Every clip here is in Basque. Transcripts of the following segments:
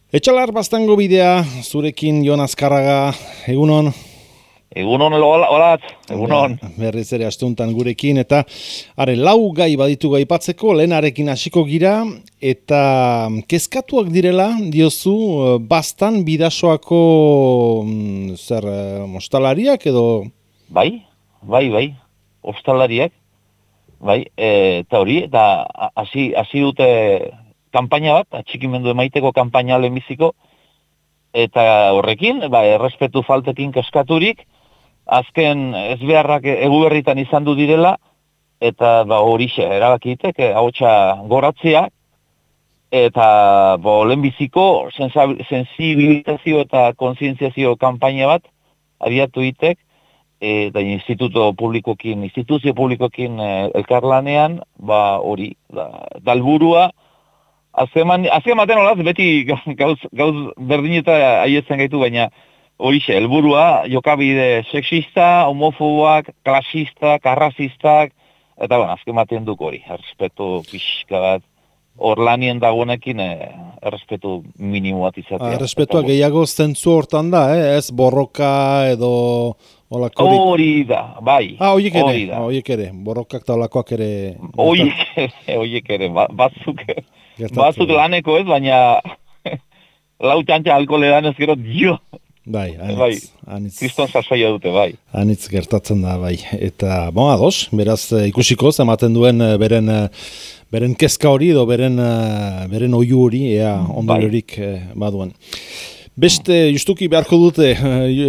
Etxalar Baztango bidea, zurekin Jon Azkarraga, egunon. Egunon, holatz, egunon. Berriz ere astuntan gurekin, eta lau gai baditu aipatzeko, lehenarekin hasiko gira, eta kezkatuak direla, diozu, Baztan bidasoako ostalariak edo? Bai, ostalariak, bai, eta hori, eta hasi dute kanpaina bat, atxikimendu emaiteko kanpaina lehenbiziko, eta horrekin, errespetu faltekin keskaturik, azken ezbeharrak eguberritan izan du direla, eta horixe, erabakitek, ahotsa goratzea, eta lehenbiziko sensibilizazio eta kontzientziazio kanpaina bat, abiatu itek, eta instituzio publikokin elkarlanean, hori, dalburua, azkematen olaz, beti gauz berdin eta aietzen gaitu, baina horixe, helburua, jokabide sexista, homofoboak, klasistak, arrazistak, eta azkematen duk hori, errespetu pixka bat, hor lanien dagoenekin errespetu minimo bat izatea. Errespetua gehiago zentzu hortan da, ez borroka edo olakorik? Hori da, bai. Horiek ere, borrokak eta olakoak ere. Horiek ere, batzuk laneko ez, baina lau txantxa alkoholedan ez gero, dio. Bai, kriston sasoia dute, bai. Anitz gertatzen da, bai. Eta, ados, beraz ikusiko, ematen duen beren kezka hori edo beren oihu hori, ea ondoriorik baduen. Beste, justuki beharko dute,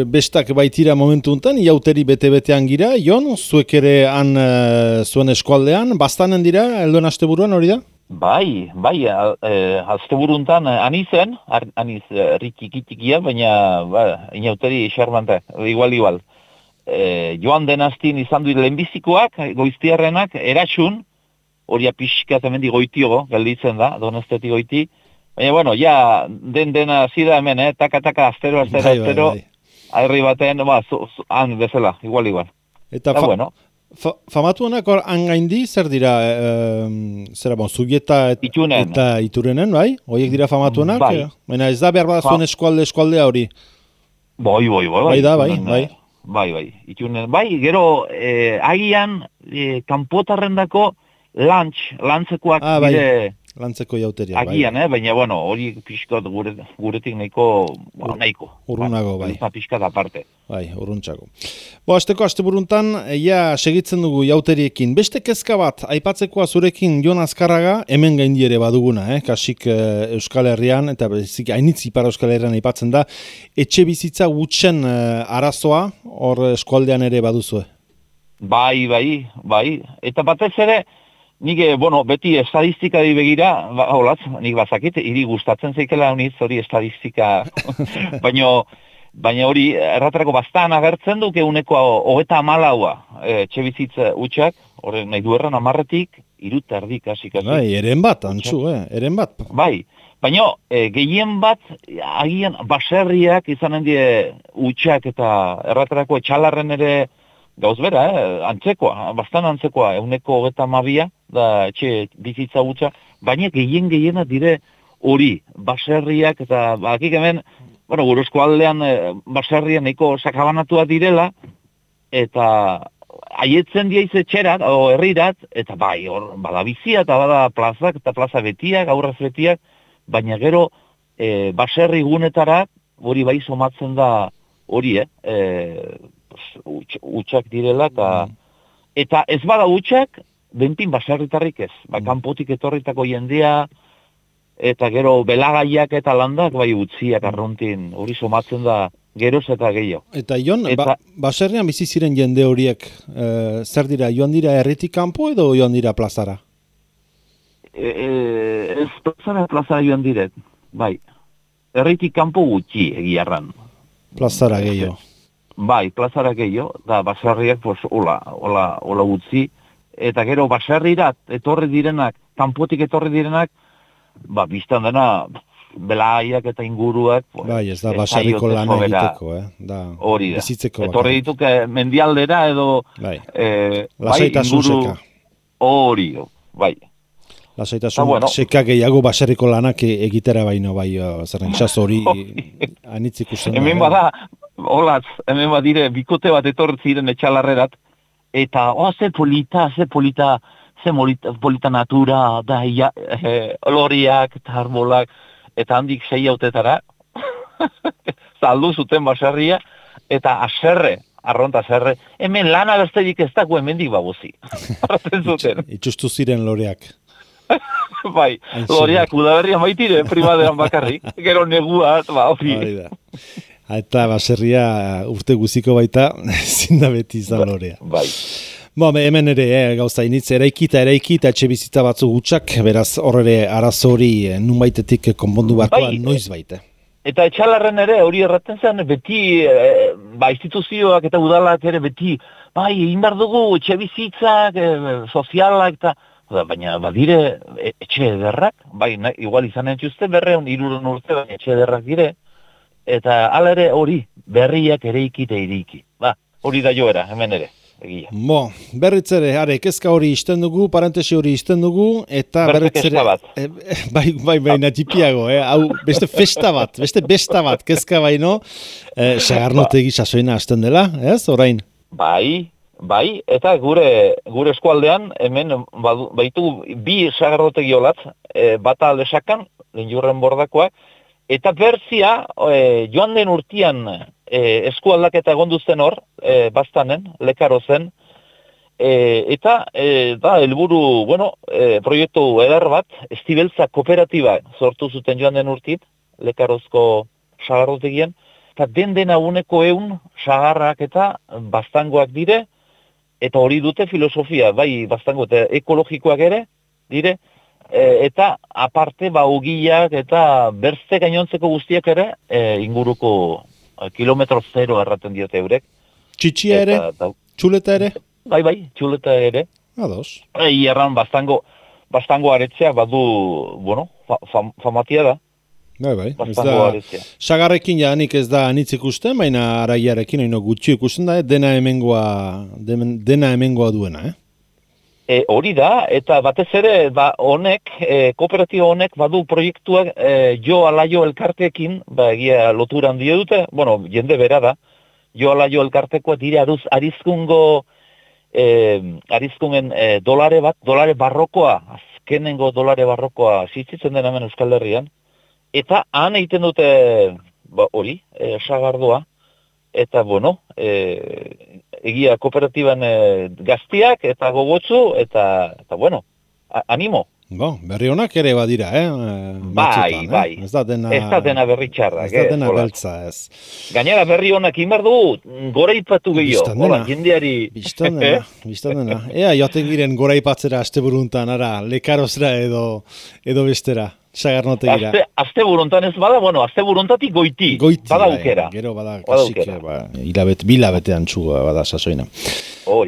bestak baitira momentu untan, iauteri bete-betean gira, Jon, zuek ere han zuen eskualdean, Baztanen dira, elduen asteburuan hori da? Bai, asteburuntan aniz rikikikia, baina inauteri xarmante, igual. Joan den astin izan du lehenbizikoak, goiztiarrenak, eratxun, hori pixkat hemendi goitiogo, gelditzen da, Donosteti goiti, baina, ja, dena zida hemen, taka, astero, aherri baten, han bezala, igual. Eta famatuenak hor hangaindi, zer dira, Zubieta eta Iturenen, bai? Horiek dira famatuenak? Baina ez da behar bat zuen eskualdea hori? Bai. Bai, Itunen, gero, agian, kanpotarrendako lantzekoak dire... Lantzeko jauteria, agian, baina, hori pixkat guretik nahiko. Urrunago, bai. Pixkat aparte. Bai, urruntxako. Asteburuntan, segitzen dugu jauteriekin. Beste kezka bat, aipatzekoa zurekin Jon Azkarraga, hemen gaindi ere baduguna, kasik Euskal Herrian, eta bezik hainitz Ipar Euskal Herrian aipatzen da, etxe bizitza gutxen arazoa, hor eskualdean ere baduzue. Bai. Eta batez ere, nik, beti estadistikari begira, nik bazakit, hiri gustatzen zeikela honiz hori estadistika, baina hori erraterako Baztan agertzen duke uneko 34 etxebizitza utxak, hori nahi duerran 10-etik 3 kasik. Bai, eren bat, antzu, eren bat. Bai, baina gehien bat, agian baserriak izanen die utxak eta erraterako etxalarren ere, gauz bera, antzekoa, Baztan antzekoa, uneko 32 da etxe bizitza gutxa, baina gehiena dire hori, baserriak eta bakik hemen, guruzko aldean baserrian nahiko sakabanatua direla, eta haietzen diaiz etxerat, herrirat, eta hor, bada bizia eta bada plazak, eta plaza betiak, aurrez betiak, baina gero baserri gunetarak, hori bai somatzen da hori, utxak direla, eta ez bada utxak, benpin baserritarrik ez. Kanpotik etorritako jendea, eta gero belagaiak eta landak, utziak arruntin, hori somatzen da geroz eta gehiago. Eta Jon, baserrian bizi ziren jende horiek, zer dira, joan dira herritik kanpo edo joan dira plazara? Ez plazara joan direk, bai. Herritik kanpo gutxi egiarran. Plazara gehiago. Bai, plazara gehiago, da baserriak hola gutxi, eta gero baserrirat etorri direnak, kanpotik etorri direnak, biztan dena belaiak eta inguruak. Bai, ez da baserriko lan egiteko, hori da. Bizitzeko. Etorri dituke mendialdera edo lasaitasun seka. Hori, bai. Lasaitasun seka gehiago baserriko lanak egitera baino, bai, zerren, itxas hori anitz ikusten da. Hemen bada, Olatz, hemen badire, bikote bat etortziren etxalarrerat, eta, ze polita, natura, da, oloriak, eta arbolak, eta handik 6 hautetara, saldu zuten baserria, eta arronta aserre, hemen lana besterik ez dago hemendik babuzi. Arraten zuten. Itxustu ziren loreak. Bai, loreak udaberria maitire, primaderan bakarrik, gero negua, hori. Eta baserria urte guziko baita, zinda beti izan lorea. Bai. Hemen ere, gauza initz, eraikita etxe bizitza batzu gutxak, beraz horre arazori nunbaitetik konpondu barkoa noiz baite. Eta etxalarren ere, hori erraten zen, beti, instituzioak eta udalak ere beti, egin behar dugu etxe bizitzak, sozialak, eta, baina badire etxe ederrak, igual izanen txuzte, 300 urte, baina etxe ederrak dire, eta ala ere hori, berriak ereiki eta iriki. Hori da joera, hemen ere, egia. Berriz ere, kezka hori izten dugu, parentesi hori izten dugu, eta berriz ere... Baina tipiago, hau, beste festa bat, kezka baino, sagarnotegi sasoina azten dela, ez, orain? Bai, eta gure eskualdean, hemen baitu 2 sagarnotegi olatz, bata lesakan, Linjurren bordakoak, eta berzia, joan den urtian eskualdaketa egonduzen hor, bastanen, lekaro zen, eta helburu, proiektu eder bat, Estibeltza kooperatiba sortu zuten joan den urtit, lekarozko sagarrotegien, eta dena uneko 100 sagarrak eta bastangoak dire, eta hori dute filosofia, bastango eta ekologikoak ere, dire, eta aparte ogiak eta berze gainontzeko guztiak ere inguruko kilometro 0 erraten diote eurek. Txitxia ere? Txuleta ere? Bai, txuleta ere. Ados. Erran bastango aretzeak badu, famatia da. Bai. Sagarrekin janik ez da anitz ikusten, baina araiarekin gutxi ikusten da, dena hemengoa duena, Hori da, eta batez ere, honek, kooperatiba honek badu proiektuak Jo Alaio elkarteekin, egia lotura handia dute, jende bera da, Jo Alaio elkartekoa dire arizkungen dolare barrokoa, azkenengo dolare barrokoa zitzitzen den hemen Euskal Herrian, eta han egiten dute, hori, sagardoa, eta, egia kooperatiban gaztiak eta gogotzu, eta animo. Berri honak ere badira, Bai. Ez da dena berri txarrak. Ez da dena beltza, ez. Gainera berri honak inbar du, goraipatu gehiago. Jendeari... Bistan dena. Ea, joaten giren goraipatzera asteburuntan, lekarozra edo bestera. Sagarnotegira. Asteburuntan ez bada, asteburuntatik goiti. Bada aukera. Gero bada kasik, bilabetean txuga bada sasoina.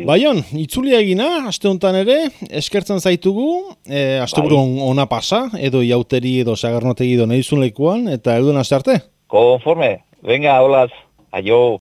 Baion, itzulia egina, asteuntan ere, eskertzen zaitugu, asteburun ona pasa, edo iauteri edo sagarnotegi edo nahizun lekuan, eta edo nazte arte. Konforme, venga, holaz, aio.